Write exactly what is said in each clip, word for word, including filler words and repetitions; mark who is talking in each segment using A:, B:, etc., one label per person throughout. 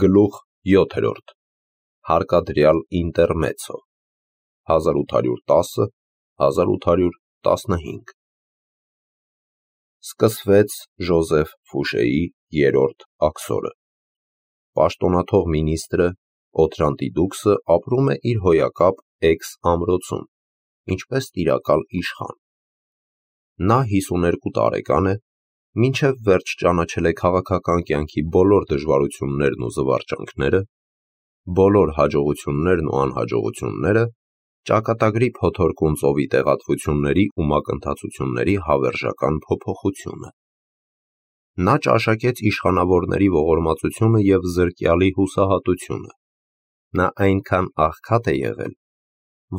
A: Գլուխ յոթերորդ Հարկադրյալ ինտերմեցո հազար ութ հարյուր տասը հազար ութ հարյուր տասնհինգ Սկսվեց Ժոզեֆ Ֆուշեի երրորդ աքսորը։ Պաշտոնաթող մինիստրը Օթրանտի դուքսը ապրում է իր հոյակապ Էքս ամրոցում, ինչպես տիրակալ իշխան։ Նա հիսուներկու տարեկան է, մինչև վերջ ճանաչել է քաղաքական կյանքի բոլոր դժվարություններն ու զվարճանքները, բոլոր հաջողություններն ու անհաջողությունները, ճակատագրի փոթորկուն ծովի տեղատվությունների ու մակընթացությունների հավերժական փոփոխությունը։ Նա ճաշակեց իշխանավորների ողորմածությունը և զրկյալի հուսահատությունը։ Նա այնքան աղքատ է եղել,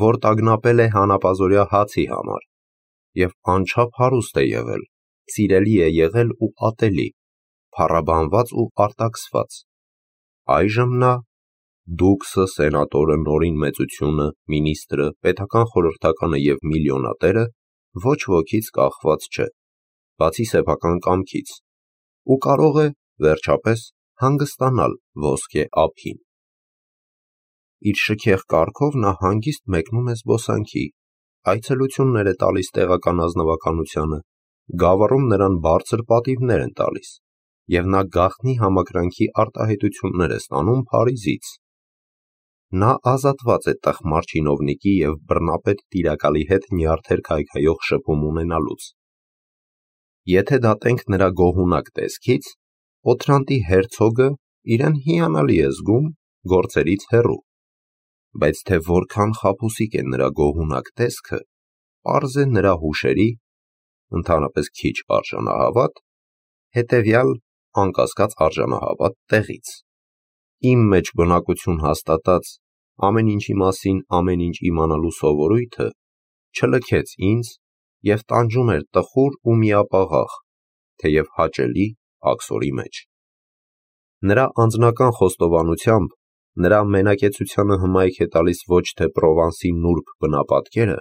A: որ տագնապել է հանապազօրյա հացի համար, և անչափ հարուստ է եղել, սիրելի է եղել ու ատելի, փառաբանված ու արտաքսված։ Այժմ նա դուքսը, սենատորը, նորին մեծությունը, մինիստրը, պետական խորհրդականը և միլիոնատերը ոչ ոքից կախված չէ, բացի սեփական կամքից, ու կարող է, վերջապես, հանգստանալ ոսկե ափին։ Իր շքեղ կառքով նա հանգիստ մեկնում է զբոսանքի, այցելություններ է տալիս տեղական ազնվականությանը, գավառում նրան բարձր պատիվներ են տալիս, և նա գաղտնի համակրանքի արտահայտություններ է ստանում Փարիզից։ Նա ազատված է տխմար չինովնիկի և բռնապետ տիրակալի հետ նյարդեր քայքայող շփում ունենալուց։ Եթե դատենք նրա գոհունակ տեսքից, Օթրանտի հերցոգը իրեն հիանալի է զգում գործերից հեռու, բայց թե որքան խաբուսիկ է նրա գոհունակ տեսքը, պարզ է նրա հուշերի, ընդհանրապես քիչ արժանահավատ, հետևյալ անկասկած արժանահավատ տեղից։ Իմ մեջ բնակություն հաստատած, ամեն ինչի մասին ամեն ինչ իմանալու սովորույթը չլքեց ինձ և տանջում էր տխուր ու միապաղաղ, թեև հաճելի աքսորի մեջ։ Նրա անձնական խոստովանությամբ, նրա մենակեցությանը հմայք է տալիս ոչ թե Պրովանսի նուրբ բնապատկերը,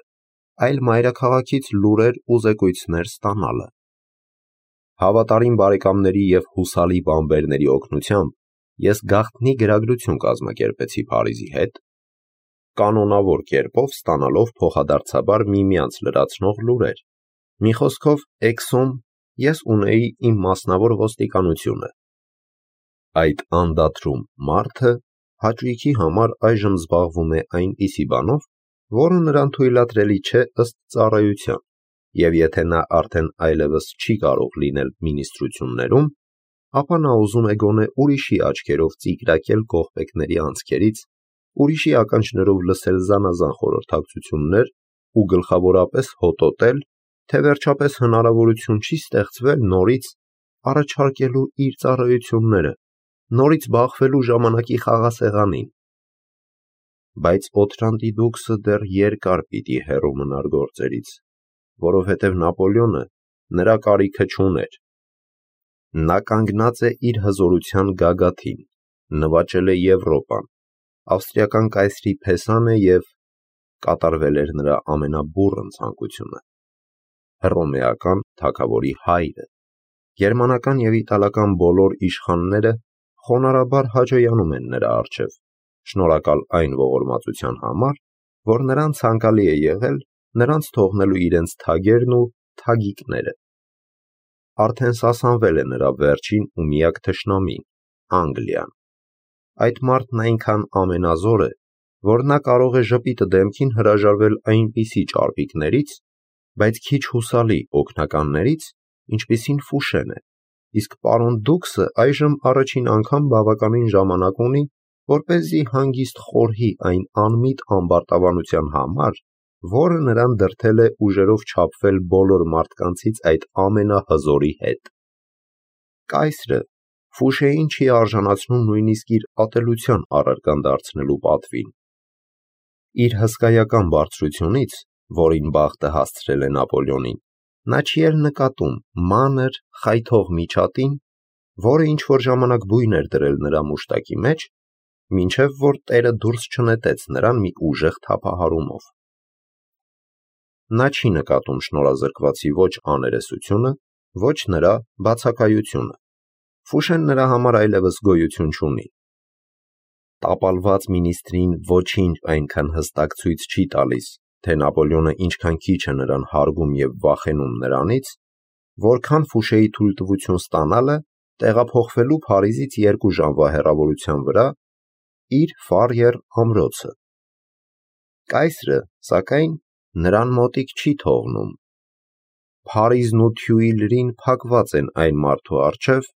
A: այլ մայրաքաղաքից լուրեր ու զեկույցներ ստանալը։ Հավատարիմ բարեկամների և հուսալի բանբերների օգնությամբ ես գաղտնի գրագրություն կազմակերպեցի Փարիզի հետ, կանոնավոր կերպով ստանալով փոխադարձաբար միմյանց լրացնող լուրեր։ Մի խոսքով, Էքսում ես ունեի իմ մասնավոր ոստիկանությունը։ Այդ անդադրում մարդը հաճույքի համար այժմ զբաղվում է այնպիսի բանով, որը նրան թույլատրելի չէ ըստ ծառայության, և եթե նա արդեն այլևս չի կարող լինել մինիստրություններում, ապա նա ուզում է գոնե ուրիշի աչքերով ծիկրակել կողպեքների անցքերից, ուրիշի ականջներով լսել զանազան խորհրդակցություններ ու գլխավորապես հոտոտել, թե վերջապես հնարավորություն չի ստեղծվել նորից առաջարկելու իր ծառայությունները, նորից բախվելու ժամանակի խաղասեղանին։ Բայց Օթրանտի դուքսը դեռ երկար պիտի հեռու մնար գործերից, որովհետև Նապոլեոնը նրա կարիքը չուներ։ Նա կանգնած է իր հզորության գագաթին, նվաճել է Եվրոպան, ավստրիական կայսրի փեսան է և կատարվել էր նրա ամենաբուռն ցանկությունը։ Հռոմեական թագավորի հայրը, գերմանական և իտալական բոլոր իշխանները խոնարհաբար հաջոյանում են նրա առջև, շնորհակալ այն ողորմածության համար, որ նրան ցանկալի է եղել նրանց թողնելու իրենց թագերն ու թագիկները։ Արդեն սասանվել է նրա վերջին ու միակ թշնամին՝ Անգլիան։ Այդ մարդն այնքան ամենազոր է, որ նա կարող է ժպիտը դեմքին հրաժարվել այնպիսի ճարպիկներից, բայց քիչ հուսալի օգնականներից, ինչպիսին Ֆուշեն է, իսկ պարոն դուքսը այժմ առաջին անգամ բավականին ժամանակ ունի, որպեսզի հանգիստ խորհի այն անմիտ ամբարտավանության համար, որը նրան դրդել է ուժերով չափվել բոլոր մարդկանցից այդ ամենահզորի հետ։ Կայսրը Ֆուշեին չի արժանացնում նույնիսկ իր ատելության առարկան դարձնելու պատվին։ Իր հսկայական բարձրությունից, որին բախտը հասցրել է Նապոլեոնին, նա չի էլ նկատում մանր, խայթող միջատին, որը ինչ-որ ժամանակ բույն էր դրել նրա մուշտակի մեջ, մինչև որ տերը դուրս չնետեց նրան մի ուժեղ թափահարումով։ Նա չի նկատում շնորհազրկվածի ոչ աներեսությունը, ոչ նրա բացակայությունը։ Ֆուշեն նրա համար այլևս գոյություն չունի, տապալված մինիստրին ոչինչ այնքան հստակ ցույց չի տալիս, թե Նապոլեոնը ինչքան քիչ է նրան հարգում և վախենում նրանից, որքան Ֆուշեի թույլտվություն ստանալը տեղափոխվելու Փարիզից երկու ժամվա հեռավորության վրա իր Ֆարիեր ամրոցը։ Կայսրը, սակայն, նրան մոտիկ չի թողնում։ Փարիզն ու Թյուիլրին փակված են այն մարդու առջև,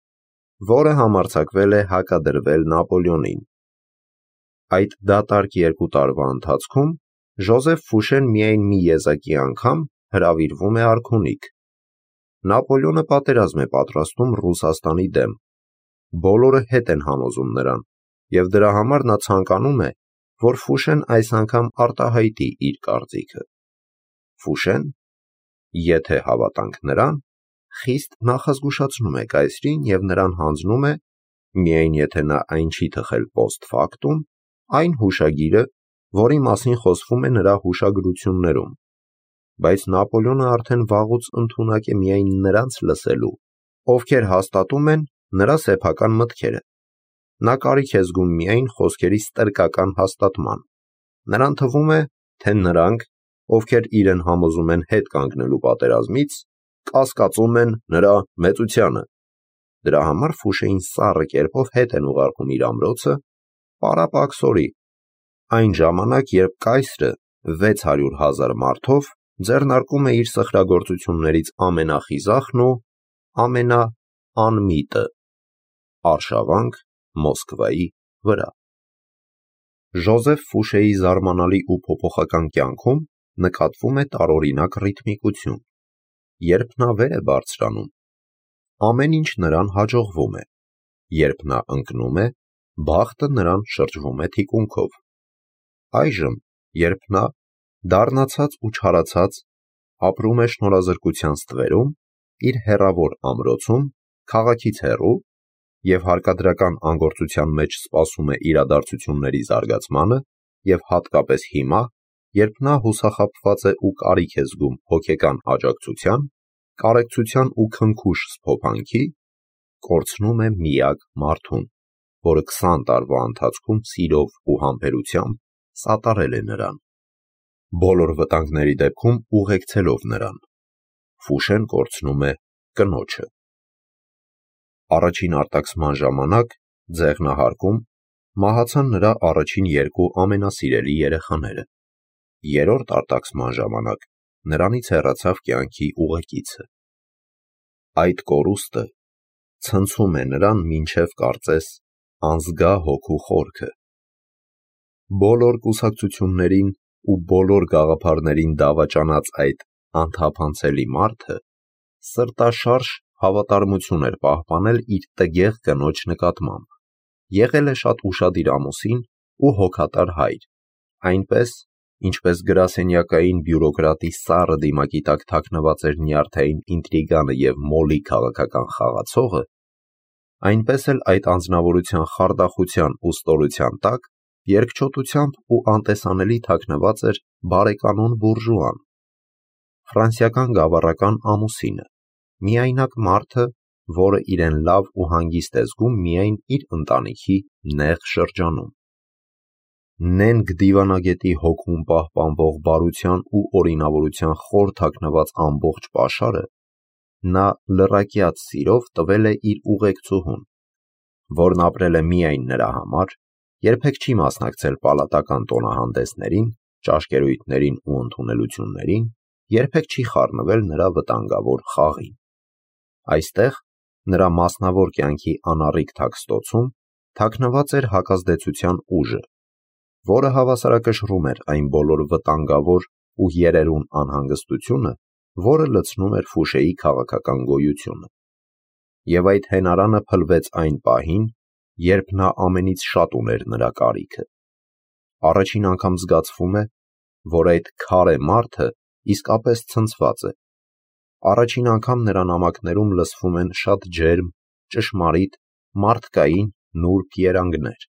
A: որը համարձակվել է հակադրվել Նապոլեոնին։ Այդ դատարկ երկու տարվա ընթացքում Ժոզեֆ Ֆուշեն միայն մի եզակի անգամ հրավիրվում է արքունիք։ Նապոլեոնը պատերազմ է պատրաստում Ռուսաստանի դեմ։ Բոլորը հետ են համոզում նրան, և դրա համար նա ցանկանում է, որ Ֆուշեն այս անգամ արտահայտի իր կարծիքը։ Ֆուշեն, եթե հավատանք նրան, խիստ նախազգուշացնում է կայսրին և նրան հանձնում է, միայն եթե նա այն չի թխել post factum, այն հուշագիրը, որի մասին խոսվում է նրա հուշագրություններում, բայց Նապոլեոնը արդեն վաղուց ընդունակ է միայն նրանց լսելու, ովքեր հաստատում են նրա սեփական մտքերը։ Նա կարիք է զգում միայն խոսքերի ստրկական հաստատման։ Նրան թվում է, թե նրանք, ովքեր իրեն համոզում են հետ կանգնելու պատերազմից, կասկածում են նրա մեծությանը։ Դրա համար Ֆուշեին սառը կերպով հետ են ուղարկում իր ամրոցը, պարապ-աքսորի, այն ժամանակ, երբ կայսրը վեց հարյուր հազար մարդով ձեռնարկում է իր սխրագործություններից ամենախիզախն ու ամենաանմիտը՝ արշավանք Մոսկվայի վրա։ Ժոզեֆ Ֆուշեի զարմանալի ու փոփոխական կյանքում նկատվում է տարօրինակ ռիթմիկություն։ Երբ նա վեր է բարձրանում, ամեն ինչ նրան հաջողվում է։ Երբ նա ընկնում է, բախտը նրան շրջվում է թիկունքով։ Այժմ, երբ նա, դառնացած ու չարացած, ապրում է շնորհազրկության ստվերում, իր հեռավոր ամրոցում, քաղաքից հեռու, և հարկադրական անգործության մեջ սպասում է իրադարձությունների զարգացմանը, և հատկապես հիմա, երբ նա հուսախաբված է ու կարիք է զգում հոգեկան աջակցության, կարեկցության ու քնքուշ սփոփանքի, կորցնում է միակ մարդուն, որը քսան տարվա ընթացքում սիրով ու համբերությամբ սատարել է նրան, բոլոր վտանգների դեպքում ուղեկցելով նրան։ Ֆուշեն կորցնում է կնոջը։ Առաջին արտաքսման ժամանակ, ձեղնահարկում, մահացան նրա առաջին երկու ամենասիրելի երեխաները։ Երրորդ արտաքսման ժամանակ նրանից հեռացավ կյանքի ուղեկիցը։ Այդ կորուստը ցնցում է նրան մինչև կարծես անզգա հոգու խորքը։ Բոլոր կուսակցություններին ու բոլոր գաղափարներին դավաճանած այդ անթափանցելի մարդը սրտաշարժ հավատարմություն էր պահպանել իր տգեղ կնոջ նկատմամբ, եղել է շատ ուշադիր ամուսին ու հոգատար հայր, այնպես, ինչպես գրասենյակային բյուրոկրատի սառը դիմակի տակ թաքնված էր նյարդային ինտրիգանը և մոլի քաղաքական խաղացողը, այնպես էլ այդ անձնավորության խարդախության ու ստորության տակ երկչոտությամբ ու անտեսանելի թաքնված էր բարեկանոն բուրժուան, ֆրանսիական գավառական ամուսինը, միայնակ մարդը, որը իրեն լավ ու հանգիստ է զգում միայն իր ընտանիքի նեղ շրջանում։ Նենգ դիվանագետի հոգում պահպանվող բարության ու օրինավորության խոր թաքնված ամբողջ պաշարը նա լռակյաց սիրով տվել է իր ուղեկցուհուն, որն ապրել է միայն նրա համար, երբեք չի մասնակցել պալատական տոնահանդեսներին, ճաշկերույթներին ու ընդունելություններին, երբեք չի խառնվել նրա վտանգավոր խաղին։ Այստեղ, նրա մասնավոր կյանքի անառիկ թաքստոցում, թաքնված էր հակազդեցության ուժը, որը հավասարակշռում էր այն բոլոր վտանգավոր ու երերուն անհանգստությունը, որը լցնում էր Ֆուշեի քաղաքական գոյությունը։ Եվ այդ հենարանը փլվեց այն պահին, երբ նա ամենից շատ ուներ նրա կարիքը։ Առաջին անգամ զգացվում է, որ այդ քարե մարդը իսկապես ցնցված է։ Առաջին անգամ նրա նամակներում լսվում են շատ ջերմ, ճշմարիտ, մարդկային, նուրբ երանգներ։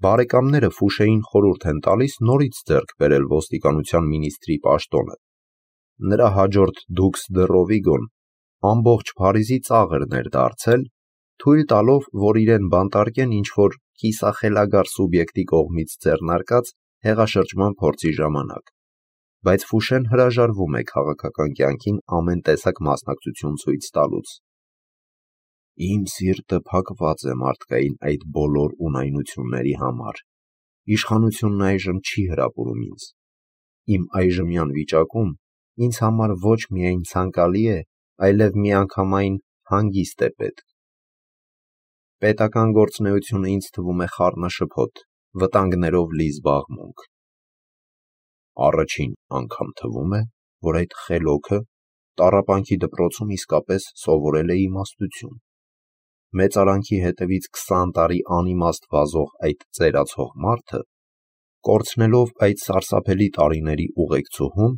A: Բարեկամները Ֆուշեին խորհուրդ են տալիս նորից ձեռք բերել ոստիկանության մինիստրի պաշտոնը։ Նրա հաջորդ դուքս դը Ռովիգոն ամբողջ Փարիզի ծաղրն էր դարձել, թույլ տալով, որ իրեն բանտարկեն ինչ-որ կիսախելագար սուբյեկտի կողմից ձեռնարկած հեղաշրջման փորձի ժամանակ, բայց Ֆուշեն հրաժարվում է քաղաքական կյանքին ամեն տեսակ մասնակցություն ցույց տալուց։ Իմ սիրտը փակված է մարդկային այդ բոլոր ունայնությունների համար։ Իշխանությունն այժմ չի հրապուրում ինձ։ Իմ այժմյան վիճակում ինձ համար ոչ միայն ցանկալի է, այլև միանգամայն հանգիստ է պետք։ Պետական գործունեությունը ինձ թվում է խառնաշփոթ, վտանգներով լի զբաղմունք։ Առաջին անգամ թվում է, որ այդ խելոքը տառապանքի դպրոցում իսկապես սովորել է իմաստություն։ Մեծարանքի հետևից քսան տարի անիմաստ վազող այդ ծերացող մարդը, կորցնելով այդ սարսափելի տարիների ուղեկցուհուն,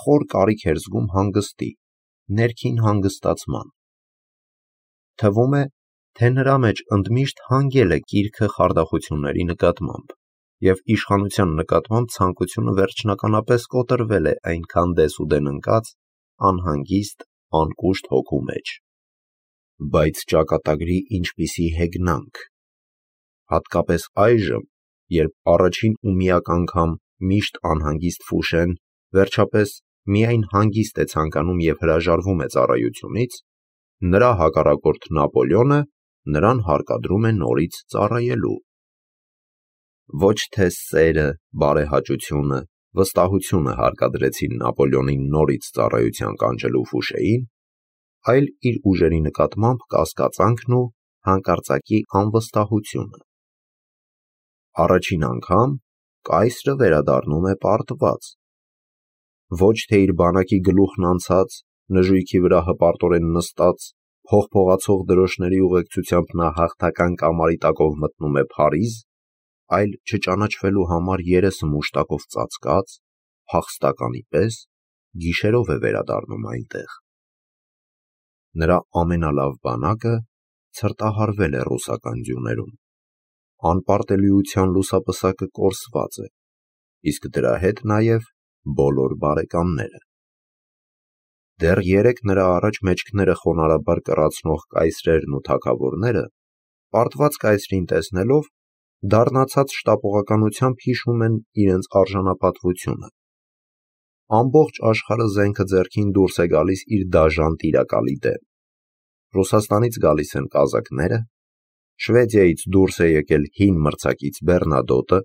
A: խոր կարիք էր զգում հանգստի, ներքին հանգստացման։ Թվում է, թե նրա մեջ ընդմիշտ հանգել է կիրքը խարդախությունների նկատմամբ, և իշխանության նկատմամբ ցանկությունը վերջնականապես կոտրվել է այնքան դեսուդեն ընկած, անհանգիստ, անկուշտ հոգու մեջ։ Բայց ճակատագրի ինչպիսի հեգնանք։ Հատկապես այժմ, երբ առաջին ու միակ անգամ միշտ անհանգիստ Ֆուշեն վերջապես միայն հանգիստ է ցանկանում և հրաժարվում է ծառայությունից, նրա հակառակորդ Նապոլեոնը նրան հարկադրում է նորից ծառայելու։ Ոչ թե սերը, բարեհաճությունը, վստահությունը հարկադրեցին Նապոլեոնին նորից ծառայության կանչելու Ֆուշեին, այլ իր ուժերի նկատմամբ կասկածանքն ու հանկարծակի անվստահությունը։ Առաջին անգամ կայսրը վերադառնում է պարտված։ Ոչ թե իր բանակի գլուխն անցած, նժույգի վրա հպարտորեն նստած, փողփողացող դրոշների ուղեկցությամբ նա հաղթական կամարի տակով մտնում է Փարիզ, այլ չճանաչվելու համար երեսը մուշտակով ծածկած, փախստականի պես գիշերով է վերադառնում այնտեղ։ Նրա ամենալավ բանակը ցրտահարվել է ռուսական ձյուներում։ Անպարտելիության լուսապսակը կորսված է, իսկ դրա հետ նաև բոլոր բարեկամները։ Դեռ երեկ նրա առաջ մեջքները խոնարհաբար կռացնող կայսրերն ու թագավորները, պարտված կայսրին տեսնելով, դառնացած շտապողականությամբ հիշում են իրենց արժանապատվությունը։ Ամբողջ աշխարհը զենքը ձեռքին դուրս է գալիս իր դաժան տիրակալի դեմ։ Ռուսաստանից գալիս են կազակները, Շվեդիայից դուրս է եկել հին մրցակից Բեռնադոտը,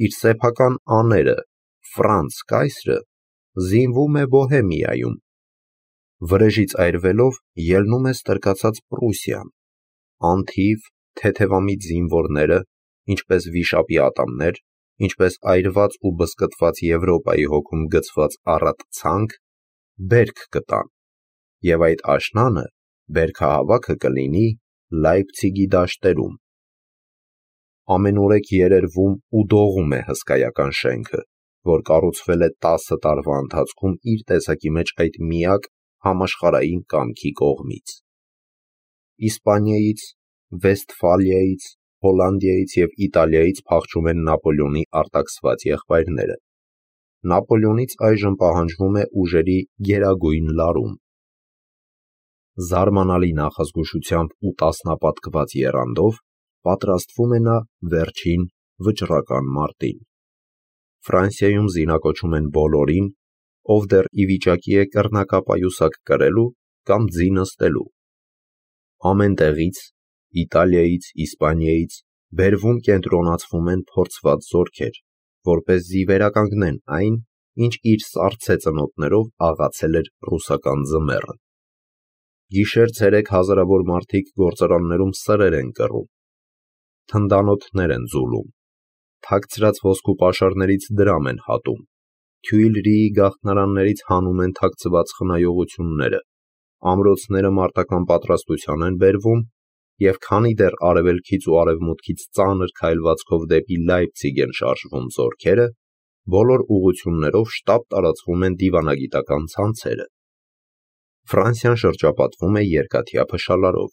A: իր սեփական աները Ֆրանց կայսրը զինվում է Բոհեմիայում։ Վրեժից այրվելով ելնում է ստրկացած Պրուսիան, անթիվ թեթևամիտ զինվորները, ինչպես վիշապի ատամներ, ինչպես այրված ու բզկտված Եվրոպայի հոգում գցված առատ ցանք, բերք կտան, և այդ աշնանը բերքահավաքը կլինի Լայպցիգի դաշտերում։ Ամենուրեք երերվում ու դողում է հսկայական շենքը, որ կառուցվել է տասը տարվա ընթացքում իր տեսակի մեջ այդ միակ համաշխարհային կամքի կողմից։ Իսպանիայից, Վեստֆալիայից, Հոլանդիայից և Իտալիայից փախչում են Նապոլեոնի արտաքսված եղբայրները։ Նապոլեոնից այժմ պահանջվում է ուժերի գերագույն լարում։ Զարմանալի նախազգուշությամբ ու տասնապատկված եռանդով պատրաստվում է նա վերջին վճռական մարտին։ Ֆրանսիայում զինակոչում են բոլորին, ով դեռ ի վիճակի է կռնակապայուսակ կրելու կամ ձի նստելու։ Ամեն տեղից, Իտալիայից, Իսպանիայից բերվում կենտրոնացվում են փորձված զորքեր, որպեսզի վերականգնեն այն, ինչ իր սառցե ծնոտներով աղացել էր ռուսական ձմեռը։ Գիշեր-ցերեկ հազարավոր մարդիկ գործարաններում սրեր են կռում, թնդանոթներ են ձուլում, թաքցրած ոսկու պաշարներից դրամ են հատում, Թյուիլրիի գաղթնարաններից հանում են թաքցված խնայողությունները, ամրոցները մարտական պատրաստության են բերվում, և քանի դեռ արևելքից ու արևմուտքից ծանր քայլվածքով դեպի Լայպցիգ են շարժվում զորքերը, բոլոր ուղղություններով շտապ տարածվում են դիվանագիտական ցանցերը։ Ֆրանսիան շրջապատվում է երկաթյա փշալարով,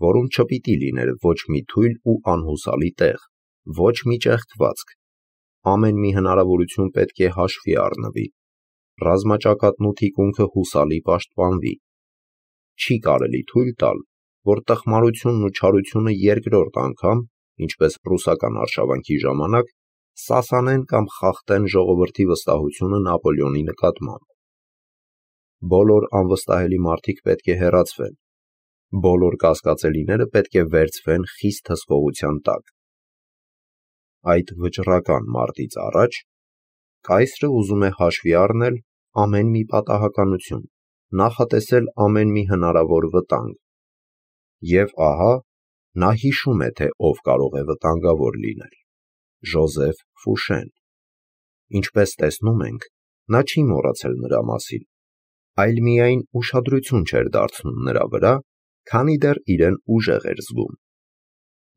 A: որում չպիտի լիներ ոչ մի թույլ ու անհուսալի տեղ, ոչ մի ճեղքվածք։ Ամեն մի հնարավորություն պետք է հաշվի առնվի, ռազմաճակատն ու թիկունքը հուսալի պաշտպանվի։ Չի կարելի թույլ տալ, որ տխմարությունն ու չարությունը երկրորդ անգամ ինչպես պրուսական արշավանքի ժամանակ, սասանեն կամ խախտեն ժողովրդի վստահությունը Նապոլեոնի նկատմամբ։ Բոլոր անվստահելի մարդիկ պետք է հեռացվեն, բոլոր կասկածելիները պետք է վերցվեն խիստ հսկողության տակ։ Այդ վճռական մարտից առաջ կայսրը ուզում է հաշվի առնել ամեն մի պատահականություն, նախատեսել ամեն մի հնարավոր վտանգ։ Եվ ահա, նա հիշում է, թե ով կարող է վտանգավոր լինել. Ժոզեֆ Ֆուշեն։ Ինչպես տեսնում ենք, նա չի մոռացել նրա մասին, այլ միայն ուշադրություն չէր դարձնում նրա վրա, քանի դեռ իրեն ուժեղ էր զգում։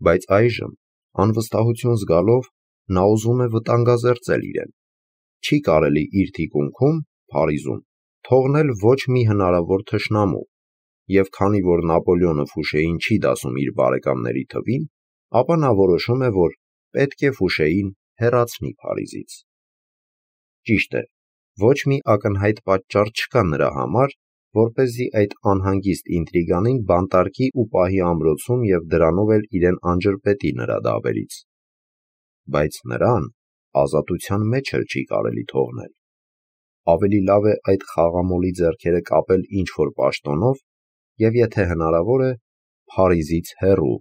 A: Բայց այժմ, անվստահություն զգալով, նա ուզում է վտանգազերծել իրեն։ Չի կարելի իր թիկունքում, Փարիզում, թողնել ոչ մի հնարավոր թշնամու, և քանի որ Նապոլեոնը Ֆուշեին չի դասում իր բարեկամների թվին, ապա նա որոշում է, որ պետք է Ֆուշեին հեռացնի Փարիզից։ Ճիշտ է, ոչ մի ակնհայտ պատճառ չկա նրա համար, որպեսզի այդ անհանգիստ ինտրիգանին բանտարկի ու պահի ամրոցում և դրանով էլ իրեն անջրպետի նրա դավերից։ Բայց նրան ազատության մեջ էլ չի կարելի թողնել։ Ավելի լավ է այդ խաղամոլի ձեռքերը կապել ինչ-որ պաշտոնով և եթե հնարավոր է, Փարիզից հեռու